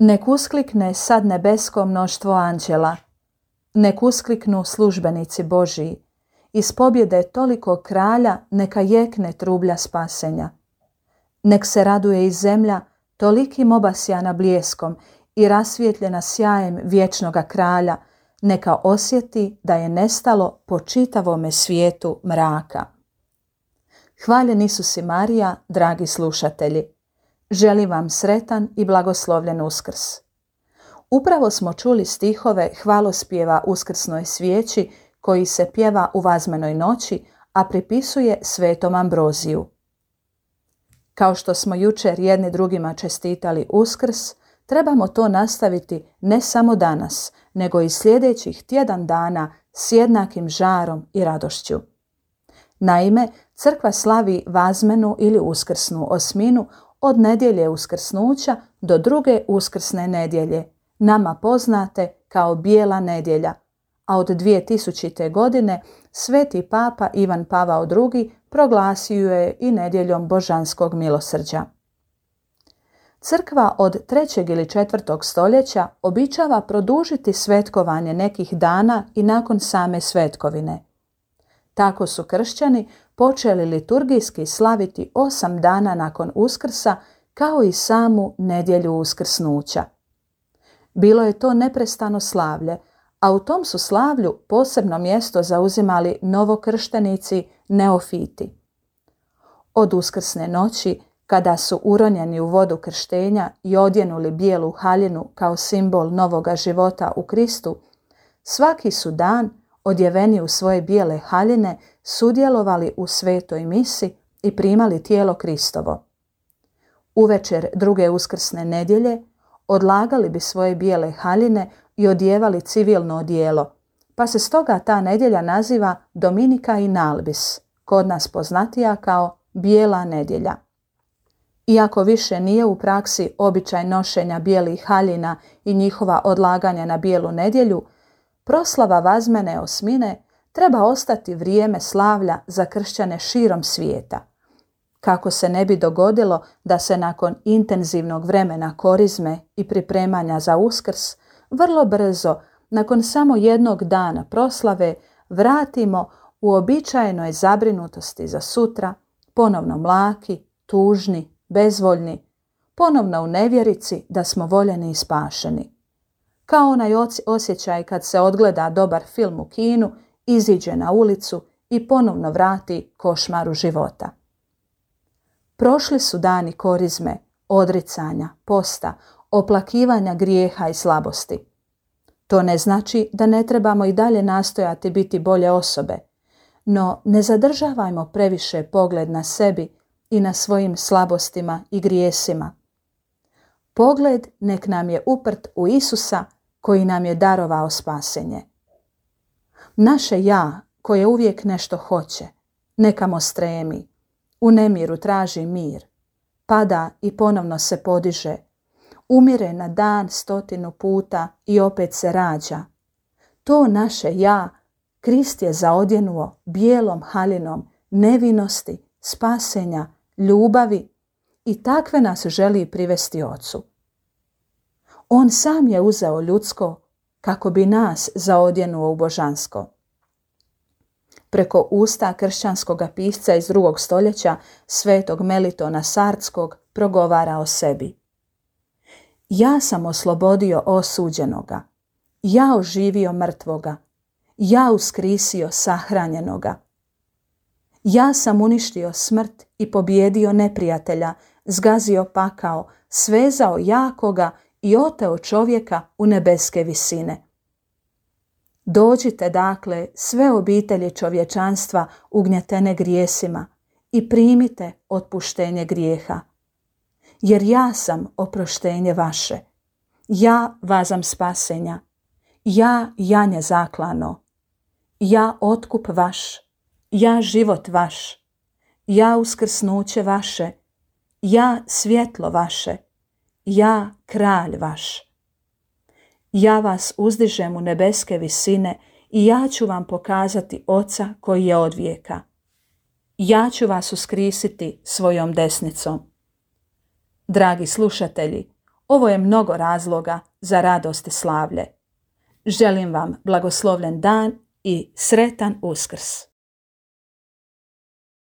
Nek usklikne sad nebesko mnoštvo anđela, nek uskliknu službenici Božiji, iz pobjede toliko kralja neka jekne trublja spasenja. Nek se raduje i zemlja tolikim obasjana bljeskom i rasvjetljena sjajem vječnoga kralja, neka osjeti da je nestalo po čitavome svijetu mraka. Hvaljen Isus i Marija, dragi slušatelji, želim vam sretan i blagoslovljen Uskrs. Upravo smo čuli stihove hvalospjeva uskrsnoj svijeći koji se pjeva u Vazmenoj noći, a pripisuje svetom Ambroziju. Kao što smo jučer jedni drugima čestitali Uskrs, trebamo to nastaviti ne samo danas, nego i sljedećih tjedan dana s jednakim žarom i radošću. Naime, crkva slavi Vazmenu ili Uskrsnu osminu od nedjelje uskrsnuća do druge uskrsne nedjelje, nama poznate kao Bijela nedjelja, a od 2000. godine sveti papa Ivan Pavao II proglasio je i nedjeljom božanskog milosrđa. Crkva od 3. ili 4. stoljeća običava produžiti svetkovanje nekih dana i nakon same svetkovine. Tako su kršćani počeli liturgijski slaviti 8 dana nakon Uskrsa, kao i samu nedjelju uskrsnuća. Bilo je to neprestano slavlje, a u tom su slavlju posebno mjesto zauzimali novokrštenici neofiti. Od uskrsne noći, kada su uronjeni u vodu krštenja i odjenuli bijelu haljinu kao simbol novoga života u Kristu, svaki su dan, odjeveni u svoje bijele haljine, sudjelovali u svetoj misi i primali tijelo Kristovo. Uvečer druge uskrsne nedjelje odlagali bi svoje bijele haljine i odjevali civilno odijelo, pa se stoga ta nedjelja naziva Dominika in albis, kod nas poznatija kao Bijela nedjelja. Iako više nije u praksi običaj nošenja bijelih haljina i njihova odlaganja na Bijelu nedjelju, proslava Vazmene osmine treba ostati vrijeme slavlja za kršćane širom svijeta. Kako se ne bi dogodilo da se nakon intenzivnog vremena korizme i pripremanja za Uskrs, vrlo brzo, nakon samo jednog dana proslave, vratimo u običajenoj zabrinutosti za sutra, ponovno mlaki, tužni, bezvoljni, ponovno u nevjerici da smo voljeni i spašeni. Kao onaj osjećaj kad se odgleda dobar film u kinu, iziđe na ulicu i ponovno vrati košmaru života. Prošli su dani korizme, odricanja, posta, oplakivanja grijeha i slabosti. To ne znači da ne trebamo i dalje nastojati biti bolje osobe, no ne zadržavajmo previše pogled na sebi i na svojim slabostima i grijesima. Pogled nek nam je uprt u Isusa koji nam je darovao spasenje. Naše ja, koje uvijek nešto hoće, nekamo stremi, u nemiru traži mir, pada i ponovno se podiže, umire na dan 100 puta i opet se rađa. To naše ja Krist je zaodjenuo bijelom haljinom nevinosti, spasenja, ljubavi i takve nas želi privesti Ocu. On sam je uzeo ljudsko kako bi nas zaodjenuo u božansko. Preko usta kršćanskog pisca iz 2. stoljeća, svetog Melitona Sardskog, progovara o sebi. Ja sam oslobodio osuđenoga, ja oživio mrtvoga, ja uskrisio sahranjenoga. Ja sam uništio smrt i pobijedio neprijatelja, zgazio pakao, svezao jakoga i oteo čovjeka u nebeske visine. Dođite dakle sve obitelji čovječanstva ugnjetene grijesima i primite otpuštenje grijeha. Jer ja sam oproštenje vaše, ja vazam spasenja, ja janje zaklano, ja otkup vaš, ja život vaš, ja uskrsnuće vaše, ja svjetlo vaše, ja kralj vaš. Ja vas uzdižem u nebeske visine i ja ću vam pokazati Oca koji je od vijeka. Ja ću vas uskrisiti svojom desnicom. Dragi slušatelji, Ovo je mnogo razloga za radost i slavlje. Želim vam blagoslovljen dan i sretan Uskrs.